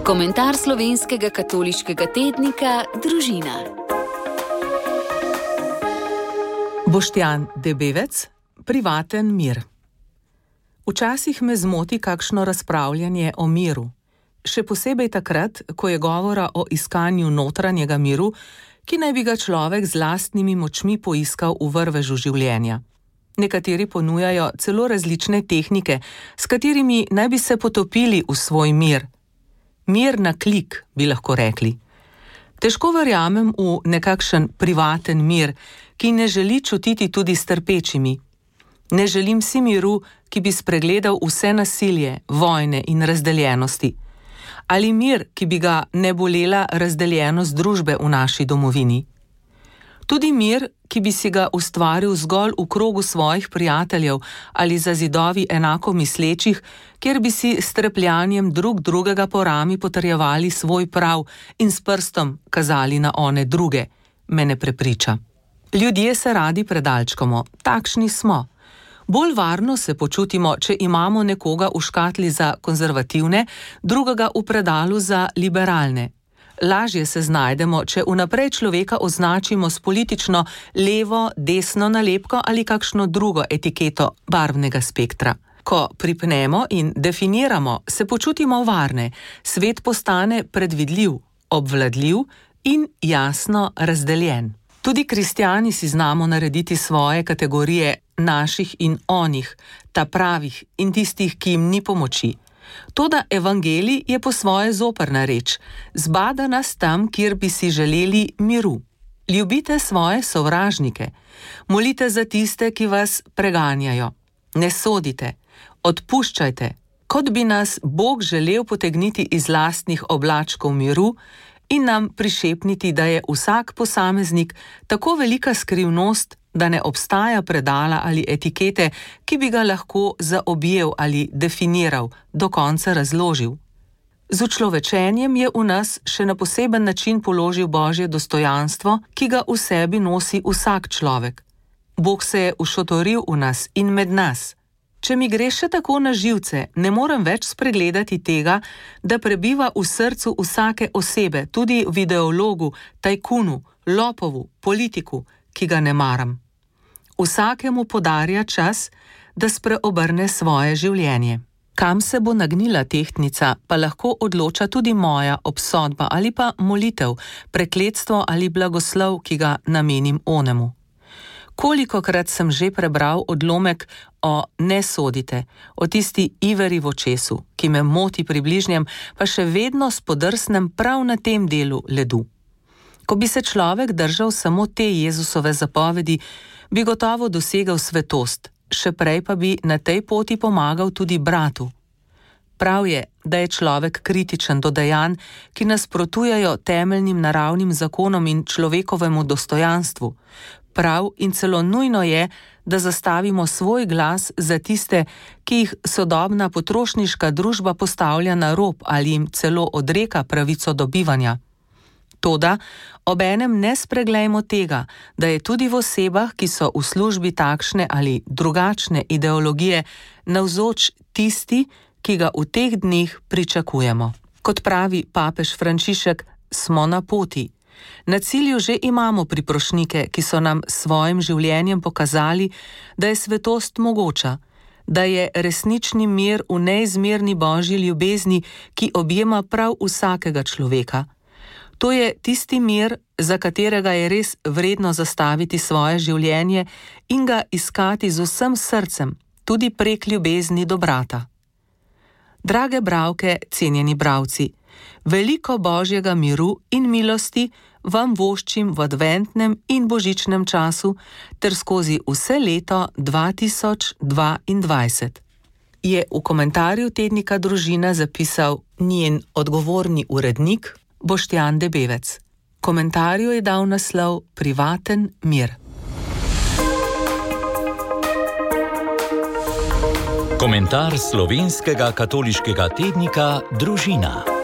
Komentar slovenskega katoliškega tednika Družina. Boštjan Debevec, privaten mir. Včasih me zmoti kakšno razpravljanje o miru. Še posebej takrat, ko je govora o iskanju notranjega miru, ki naj bi ga človek z lastnimi močmi poiskal v vrvežu življenja. Nekateri ponujajo celo različne tehnike, s katerimi naj bi se potopili v svoj mir. Mir na klik, bi lahko rekli. Težko verjamem v nekakšen privaten mir, ki ne želi čutiti tudi s trpečimi. Ne želim si miru, ki bi spregledal vse nasilje, vojne in razdeljenosti. Ali mir, ki bi ga ne bolela razdeljenost družbe v naši domovini. Tudi mir, ki bi si ga ustvaril zgolj v krogu svojih prijateljev ali za zidovi enako mislečih, kjer bi si s trepljanjem drug drugega po rami potrjevali svoj prav in s prstom kazali na one druge, me ne prepriča. Ljudje se radi predalčkamo, takšni smo. Bolj varno se počutimo, če imamo nekoga v škatli za konzervativne, drugega v predalu za liberalne. Lažje se znajdemo, če vnaprej človeka označimo s politično levo, desno nalepko ali kakšno drugo etiketo barvnega spektra. Ko pripnemo in definiramo, se počutimo varne, svet postane predvidljiv, obvladljiv in jasno razdeljen. Tudi kristjani si znamo narediti svoje kategorije naših in onih, ta pravih in tistih, ki jim ni pomoči. Toda evangelij je po svoje zoprna reč, zbada nas tam, kjer bi si želeli miru. Ljubite svoje sovražnike, molite za tiste, ki vas preganjajo. Ne sodite, odpuščajte, kot bi nas Bog želel potegniti iz lastnih oblačkov miru in nam prišepniti, da je vsak posameznik tako velika skrivnost, da ne obstaja predala ali etikete, ki bi ga lahko zaobjel ali definiral, do konca razložil. Z učlovečenjem je v nas še na poseben način položil Božje dostojanstvo, ki ga v sebi nosi vsak človek. Bog se je ušotoril v nas in med nas. Če mi gre še tako na živce, ne morem več spregledati tega, da prebiva v srcu vsake osebe, tudi v ideologu, tajkunu, lopovu, politiku, ki ga ne maram. Vsakemu podarja čas, da spreobrne svoje življenje. Kam se bo nagnila tehtnica, pa lahko odloča tudi moja obsodba ali pa molitev, prekletstvo ali blagoslov, ki ga namenim onemu. Kolikokrat sem že prebral odlomek o ne sodite, o tisti iveri v očesu, ki me moti pri bližnjem, pa še vedno spodrsnem prav na tem delu ledu. Ko bi se človek držal samo te Jezusove zapovedi, bi gotovo dosegel svetost, še prej pa bi na tej poti pomagal tudi bratu. Prav je, da je človek kritičen do dejanj, ki nasprotujejo temeljnim naravnim zakonom in človekovemu dostojanstvu. Prav in celo nujno je, da zastavimo svoj glas za tiste, ki jih sodobna potrošniška družba postavlja na rob ali jim celo odreka pravico do bivanja. Toda obenem ne spreglejmo tega, da je tudi v osebah, ki so v službi takšne ali drugačne ideologije, navzoč tisti, ki ga v teh dneh pričakujemo. Kot pravi papež Frančišek, smo na poti. Na cilju že imamo priprošnike, ki so nam s svojim življenjem pokazali, da je svetost mogoča, da je resnični mir v neizmerni Božji ljubezni, ki objema prav vsakega človeka. To je tisti mir, za katerega je res vredno zastaviti svoje življenje in ga iskati z vsem srcem, tudi prek ljubezni do brata. Drage bralke, cenjeni bralci, veliko Božjega miru in milosti vam voščim v adventnem in božičnem času ter skozi vse leto 2022. Je v komentarju tednika Družina zapisal njen odgovorni urednik Boštjan Debevec. Komentarju je dal naslov Privaten mir. Komentar slovenskega katoliškega tednika Družina.